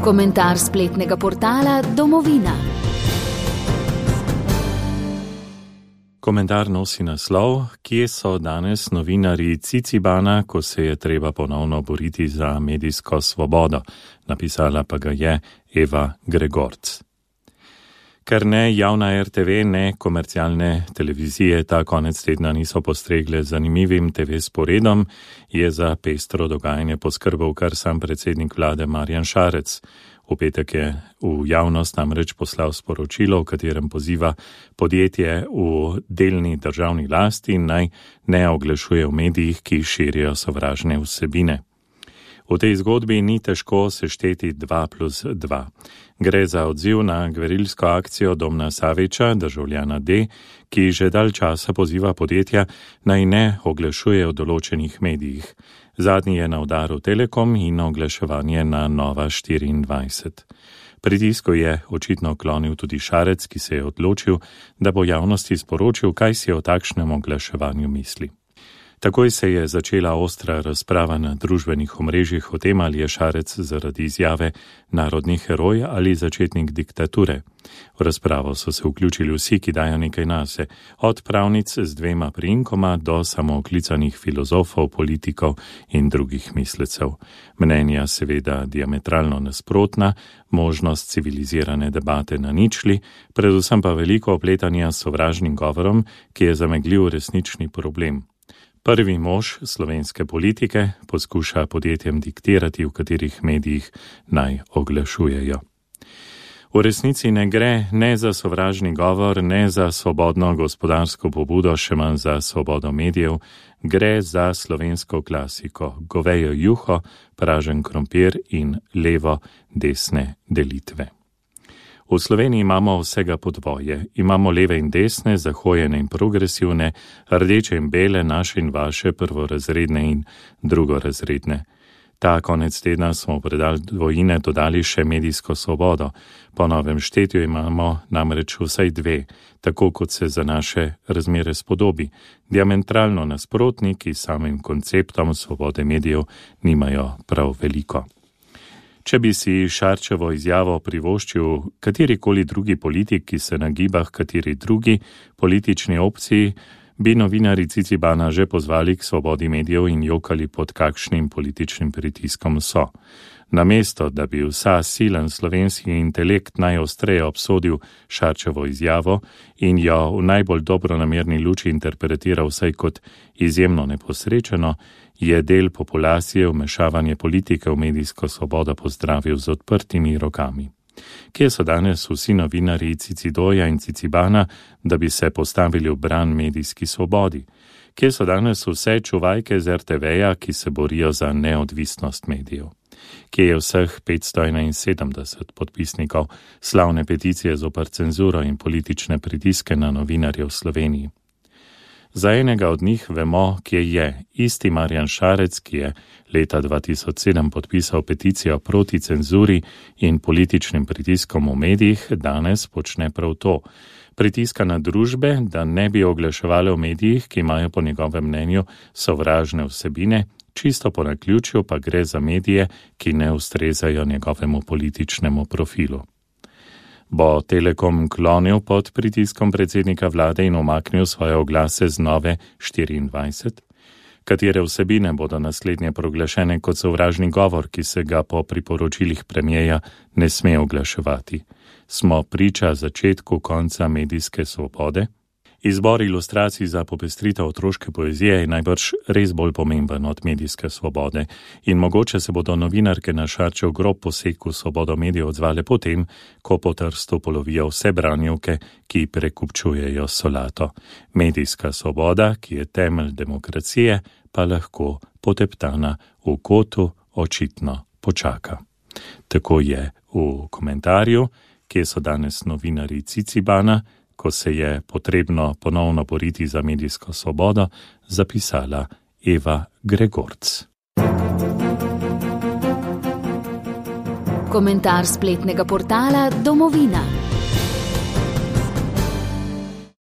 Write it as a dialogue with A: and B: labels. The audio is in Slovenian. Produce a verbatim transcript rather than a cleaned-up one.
A: Komentar spletnega portala Domovina.
B: Komentar nosi naslov: Kje so danes novinarji Cicibana, ko se je treba ponovno boriti za medijsko svobodo? Napisala pa ga je Eva Gregorc. Ker ne javna er te ve, ne komercialne televizije ta konec tedna niso postregle zanimivim te ve sporedom, je za pestro dogajanje poskrbel kar sam predsednik vlade Marjan Šarec. V petek je v javnost namreč poslal sporočilo, v katerem poziva podjetje v delni državni lasti naj ne oglašuje v medijih, ki širijo sovražne vsebine. V tej zgodbi ni težko sešteti dva plus dva. Gre za odziv na gverilsko akcijo Domna Saviča, državljana D, ki že dalj časa poziva podjetja naj ne oglašuje v določenih medijih. Zadnji je na udaru Telekom in oglaševanje na Nova štiriindvajset. Pritisku je očitno klonil tudi Šarec, ki se je odločil, da bo javnosti sporočil, kaj si o takšnem oglaševanju misli. Takoj se je začela ostra razprava na družbenih omrežjih o tem, ali je Šarec zaradi izjave narodni heroj ali začetnik diktature. V razpravo so se vključili vsi, ki dajo nekaj nase, od pravnic z dvema priimkoma do samooklicanih filozofov, politikov in drugih mislecev. Mnenja seveda diametralno nasprotna, možnost civilizirane debate na ničli, predvsem pa veliko opletanja s sovražnim govorom, ki je zamegljiv resnični problem. Prvi mož slovenske politike poskuša podjetjem diktirati, v katerih medijih naj oglašujejo. V resnici ne gre ne za sovražni govor, ne za svobodno gospodarsko pobudo, še manj za svobodo medijev, gre za slovensko klasiko, govejo juho, pražen krompir in levo-desne delitve. V Sloveniji imamo vsega po dvoje. Imamo leve in desne, zahojene in progresivne, rdeče in bele, naše in vaše, prvorazredne in drugorazredne. Ta konec tedna smo v predal dvojine dodali še medijsko svobodo. Po novem štetju imamo namreč vsaj dve, tako kot se za naše razmere spodobi. Diametralno nasprotni, ki samim konceptom svobode medijev nimajo prav veliko. Če bi si Šarčevo izjavo privoščil katerikoli drugi politik, ki se nagiba h kateri drugi politični opciji, bi novinarji Cicibana že pozvali k svobodi medijev in jokali pod kakšnim političnim pritiskom so. Namesto, da bi vsa silen slovenski intelekt najostreje obsodil Šarčevo izjavo in jo v najbolj dobronamerni luči interpretiral vsaj kot izjemno neposrečeno, je del populacije vmešavanje politike v medijsko svobodo pozdravil z odprtimi rokami. Kje so danes vsi novinarji Cicidoja in Cicibana, da bi se postavili v bran medijski svobodi? Kje so danes vse čuvajke z er te veja, ki se borijo za neodvisnost medijev? Kje je vseh petsto enainsedemdeset podpisnikov slavne peticije zoper cenzuro in politične pritiske na novinarje v Sloveniji? Za enega od njih vemo, kje je isti Marjan Šarec, ki je leta dva tisoč sedem podpisal peticijo proti cenzuri in političnim pritiskom v medijih, danes počne prav to. Pritiska na družbe, da ne bi oglaševali v medijih, ki imajo po njegovem mnenju sovražne vsebine, čisto po naključju pa gre za medije, ki ne ustrezajo njegovemu političnemu profilu. Bo Telekom klonil pod pritiskom predsednika vlade in umaknil svoje oglase z Nove štiriindvajset? Katere vsebine bodo naslednje proglašene kot sovražni govor, ki se ga po priporočilih premierja ne sme oglaševati? Smo priča začetku konca medijske svobode? Izbor ilustracij za popestritev otroške poezije je najbrž res bolj pomemben od medijske svobode in mogoče se bodo novinarke na Šarčev grob poseg v svobodo medijev odzvale potem, ko po Trstu polovijo vse branjevke, ki prekupčujejo solato. Medijska svoboda, ki je temelj demokracije, pa lahko poteptana v kotu očitno počaka. Tako je v komentarju, kje so danes novinarji Cicibana, ko se je potrebno ponovno boriti za medijsko svobodo, zapisala Eva Gregorc.
A: Komentar spletnega portala Domovina.